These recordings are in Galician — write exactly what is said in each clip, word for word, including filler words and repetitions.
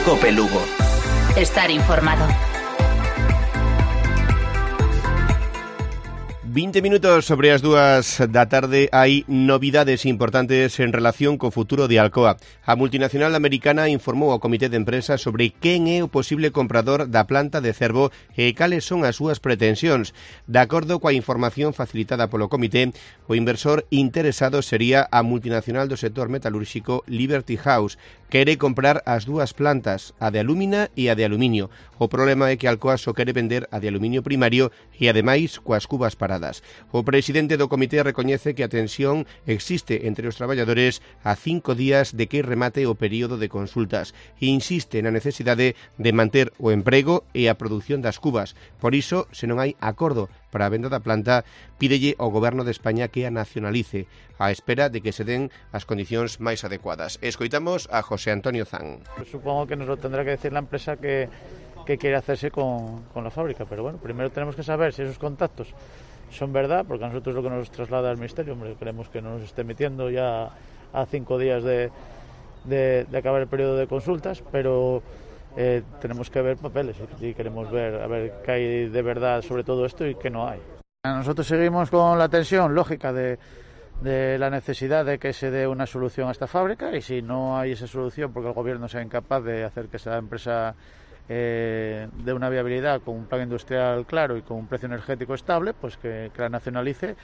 Cope Lugo. Estar informado. vinte minutos sobre as dúas da tarde. Hai novidades importantes en relación co futuro de Alcoa. A multinacional americana informou ao Comité de Empresa sobre quen é o posible comprador da planta de Cervo e cales son as súas pretensións. De acordo coa información facilitada polo Comité, o inversor interesado sería a multinacional do sector metalúrxico Liberty House. Quere comprar as dúas plantas, a de alúmina e a de aluminio. O problema é que Alcoa só quere vender a de aluminio primario e, ademais, coas cubas paradas. O presidente do comité recoñece que a tensión existe entre os traballadores a cinco días de que remate o período de consultas e insiste na necesidade de manter o emprego e a produción das cubas. Por iso, se non hai acordo para a venda da planta, pídelle ao Goberno de España que a nacionalice, á espera de que se den as condicións máis adecuadas. Escoitamos a José Antonio Zan. Pues supongo que nos lo tendrá que decir la empresa que, que quiere hacerse con, con la fábrica, pero bueno, primero tenemos que saber si esos contactos son verdad, porque a nosotros lo que nos traslada el Ministerio, hombre, queremos que no nos esté metiendo ya a cinco días de, de, de acabar el periodo de consultas, pero eh, tenemos que ver papeles y queremos ver a ver qué hay de verdad sobre todo esto y qué no hay. Nosotros seguimos con la tensión lógica de, de la necesidad de que se dé una solución a esta fábrica, y si no hay esa solución porque el Gobierno sea incapaz de hacer que esa empresa Eh, de una viabilidad con un plan industrial claro y con un precio energético estable, pues que, que la nacionalice.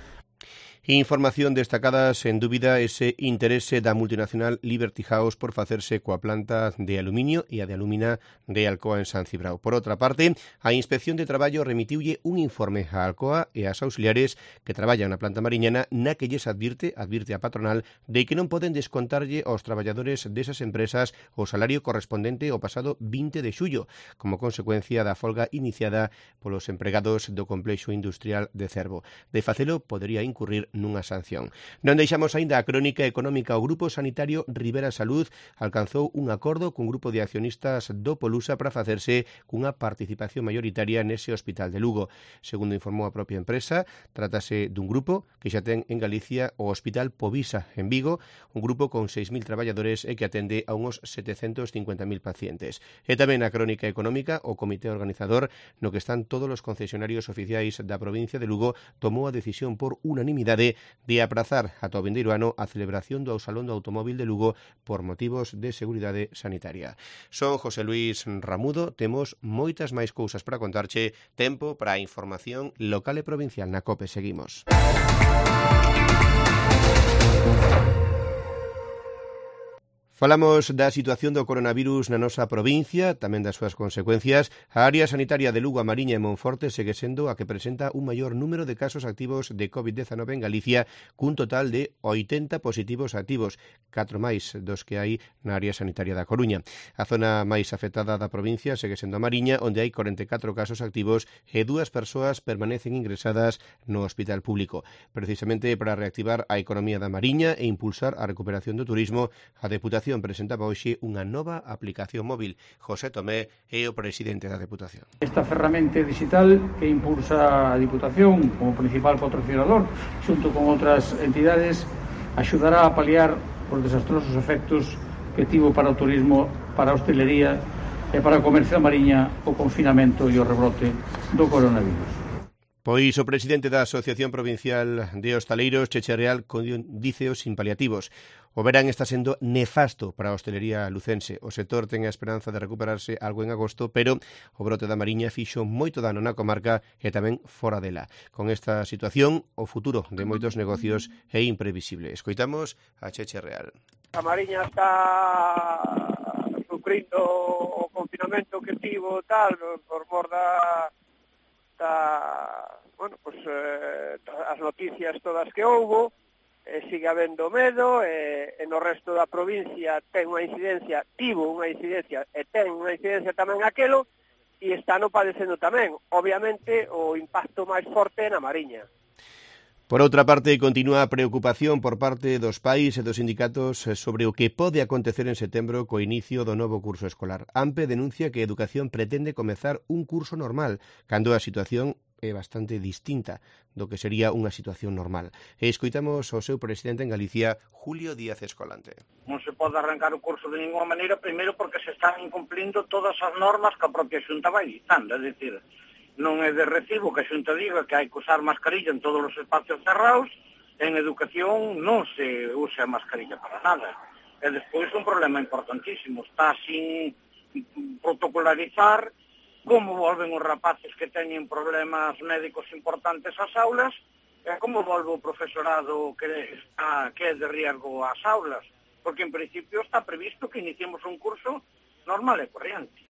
Información destacada, sen dúbida, ese interese da multinacional Liberty House por facerse coa planta de aluminio e a de alúmina de Alcoa en San Cibrao. Por outra parte, a Inspección de Traballo remitiulle un informe a Alcoa e ás auxiliares que traballan na planta mariñana na que lles advirte, advirte a patronal, de que non poden descontarlle aos traballadores desas empresas o salario correspondente ao pasado vinte de xullo, como consecuencia da folga iniciada polos empregados do complexo industrial de Cervo. De facelo, podería incurrir nunha sanción. Non deixamos aínda a crónica económica. O Grupo Sanitario Ribera Salud alcanzou un acordo cun grupo de accionistas do Polusa para facerse cunha participación mayoritaria nese hospital de Lugo. Segundo informou a propia empresa, trátase dun grupo que xa ten en Galicia o Hospital Povisa en Vigo, un grupo con seis mil traballadores e que atende a uns setecentos cincuenta mil pacientes. E tamén a crónica económica, o comité organizador, no que están todos os concesionarios oficiais da provincia de Lugo, tomou a decisión por unanimidade de aprazar ata o vindeiro ano a celebración do Salón do Automóvil de Lugo por motivos de seguridade sanitaria. Son José Luis Ramudo, temos moitas máis cousas para contarche, tempo para a información local e provincial na COPE. Seguimos. Falamos da situación do coronavirus na nosa provincia, tamén das súas consecuencias. A área sanitaria de Lugo, a Mariña e Monforte segue sendo a que presenta un maior número de casos activos de covid diecinueve en Galicia, cun total de oitenta positivos activos, catro máis dos que hai na área sanitaria da Coruña. A zona máis afectada da provincia segue sendo a Mariña, onde hai corenta e catro casos activos e dúas persoas permanecen ingresadas no hospital público. Precisamente para reactivar a economía da Mariña e impulsar a recuperación do turismo, a Deputación presentaba hoxe unha nova aplicación móvil. José Tomé é o presidente da Deputación. Esta ferramenta digital que impulsa a Diputación como principal patrocinador, xunto con outras entidades, axudará a paliar os desastrosos efectos que tivo para o turismo, para a hostelería e para o comercio da Mariña o confinamento e o rebrote do coronavirus. Pois o presidente da Asociación Provincial de Hostaleiros, Cheche Real, díceo sin paliativos. O verán está sendo nefasto para a hostelería lucense. O sector ten a esperanza de recuperarse algo en agosto, pero o brote da Mariña fixo moito dano na comarca e tamén fora dela. Con esta situación, o futuro de moitos negocios é imprevisible. Escoitamos a Cheche Real. A Mariña está sufrindo o confinamento que tivo tal por mor da Da, bueno, pues eh, as noticias todas que houbo, eh, sigue habendo medo, e eh, no resto da provincia ten unha incidencia, tivo unha incidencia e ten unha incidencia tamén aquelo, e están padecendo tamén. Obviamente o impacto máis forte é na Mariña. Por outra parte, continúa a preocupación por parte dos pais e dos sindicatos sobre o que pode acontecer en setembro co inicio do novo curso escolar. AMPE denuncia que a Educación pretende comezar un curso normal, cando a situación é bastante distinta do que sería unha situación normal. E escoitamos o seu presidente en Galicia, Julio Díaz Escolante. Non se pode arrancar o curso de ninguna maneira, primeiro porque se están incumplindo todas as normas que a propia Xunta vai dictando, é dicir, non é de recibo que a Xunta diga que hai que usar mascarilla en todos os espacios cerrados, en educación non se usa mascarilla para nada. E despois un problema importantísimo, está sin protocolarizar como volven os rapaces que teñen problemas médicos importantes ás aulas e como volve o profesorado que, está, que é de riesgo ás aulas, porque en principio está previsto que iniciemos un curso normal e corriente.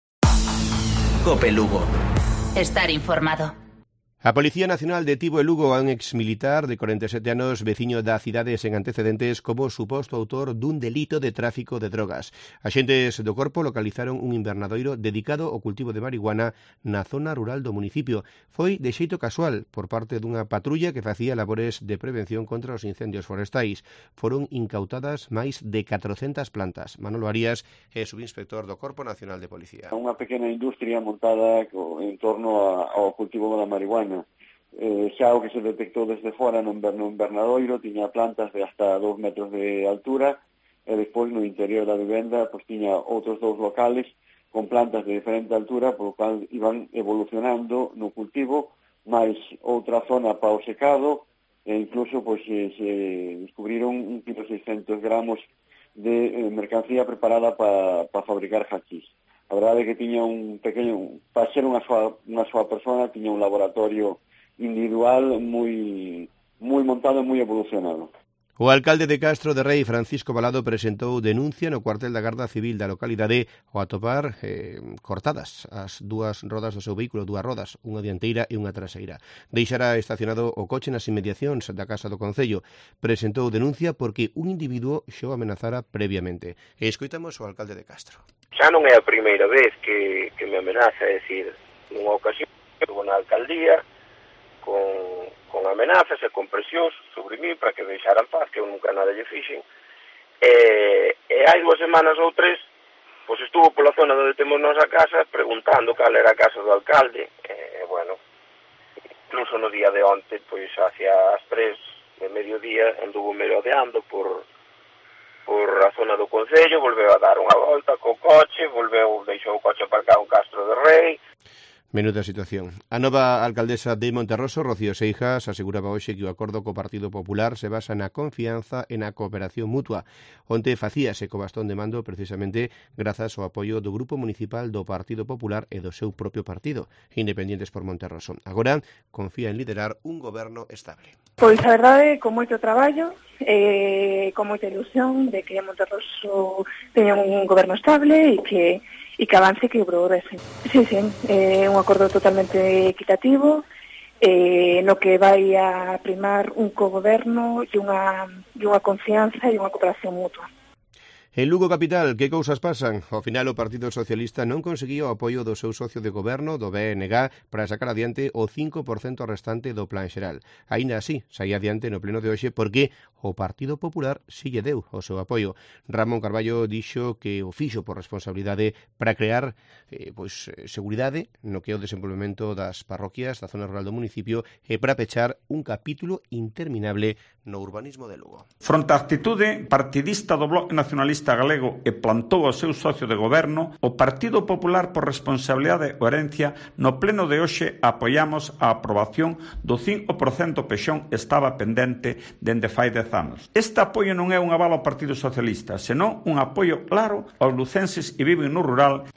Cope Lugo. Estar informado. A Policía Nacional detivo en Lugo a un exmilitar de cuarenta e sete anos veciño da cidade sen antecedentes como suposto autor dun delito de tráfico de drogas. Axentes do corpo localizaron un invernadoiro dedicado ao cultivo de marihuana na zona rural do municipio. Foi de xeito casual por parte dunha patrulla que facía labores de prevención contra os incendios forestais. Foron incautadas máis de catrocentas plantas. Manolo Arias é subinspector do Corpo Nacional de Policía. Unha pequena industria montada en torno ao cultivo da marihuana. Eh, xa o que se detectou desde fora no invernadoiro tiña plantas de hasta dous metros de altura e despois no interior da vivenda pois tiña outros dous locales con plantas de diferente altura por lo cual iban evolucionando no cultivo máis outra zona para o secado e incluso pois se, se descubriron un kilo seiscentos gramos de eh, mercancía preparada para pa fabricar hachís. A verdade é que tiña un pequeño, para ser unha soa, unha soa persona, tiña un laboratorio individual moi moi montado e moi evolucionado. O alcalde de Castro de Rei, Francisco Balado, presentou denuncia no cuartel da Garda Civil da localidade ao atopar eh, cortadas as dúas rodas do seu vehículo, dúas rodas, unha dianteira e unha traseira. Deixara estacionado o coche nas inmediacións da Casa do Concello. Presentou denuncia porque un individuo xa o amenazara previamente. E escoitamos o alcalde de Castro. Xa non é a primeira vez que, que me amenaza, é dicir, nunha ocasión estuvo na alcaldía con, con amenazas e con presións sobre mí para que deixara en paz, que eu nunca nada lle fixen. E, e hai dúas semanas ou tres, pois estuvo pola zona onde temos nosa casa preguntando cal era a casa do alcalde. E, bueno, incluso no día de onte, pois hacia as tres de mediodía, anduvo merodeando por... por a zona do Concello, volveu a dar unha volta co coche, volveu, deixou o coche aparcado en Castro de Rei. Menuda situación. A nova alcaldesa de Monterroso, Rocío Seijas, aseguraba hoxe que o acordo co Partido Popular se basa na confianza e na cooperación mutua. Onte facíase co bastón de mando precisamente grazas ao apoio do Grupo Municipal do Partido Popular e do seu propio partido, Independientes por Monterroso. Agora confía en liderar un goberno estable. Pois a verdade, con moito traballo, eh, con moita ilusión de que Monterroso teña un goberno estable e que e que avance e que progrese. Sí, sí, é eh, un acordo totalmente equitativo, eh, no que vai a primar un cogoberno e unha, e unha confianza e unha cooperación mutua. En Lugo capital, que cousas pasan? Ao final o Partido Socialista non conseguiu o apoio do seu socio de goberno, do B N G, para sacar adiante o cinco por cento restante do plan xeral. Aínda así, saía adiante no pleno de hoxe porque o Partido Popular si lle deu o seu apoio. Ramón Carballo dixo que o fixo por responsabilidade para crear eh, pois, seguridade no que é o desenvolvemento das parroquias da zona rural do municipio e para pechar un capítulo interminable no urbanismo de Lugo. Fronte á actitude partidista do Bloque Nacionalista galego e plantou o seu socio de goberno, o Partido Popular por responsabilidade e herencia no pleno de hoxe apoiamos a aprobación do cinco por cento pexón estaba pendente dende fai dez anos. Este apoio non é un aval ao Partido Socialista, senón un apoio claro aos lucenses que viven no rural.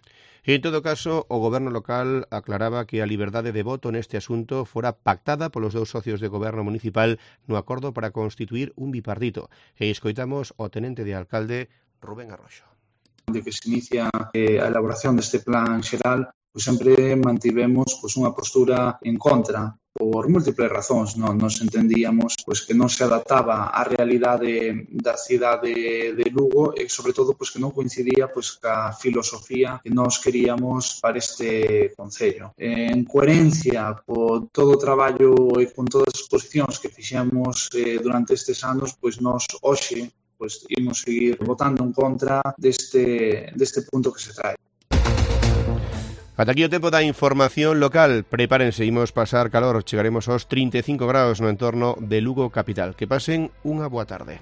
En todo caso, o goberno local aclaraba que a liberdade de voto neste asunto fora pactada polos dous socios de goberno municipal no acordo para constituir un bipartito. E escoitamos o tenente de alcalde Rubén Arroxo. De que se inicia eh, a elaboración deste plan xeral, pois sempre mantivemos pois, unha postura en contra por múltiples razóns. Non nos entendíamos pois, que non se adaptaba á realidade da cidade de Lugo e, sobre todo, pois, que non coincidía pois, ca filosofía que nós queríamos para este concello. En coherencia con todo o traballo e con todas as exposicións que fixemos eh, durante estes anos, pois nós hoxe pois, imos seguir votando en contra deste, deste punto que se trae. Ata aquí o tempo da información local. Prepárense, imos pasar calor, chegaremos aos trinta e cinco graus no entorno de Lugo capital. Que pasen unha boa tarde.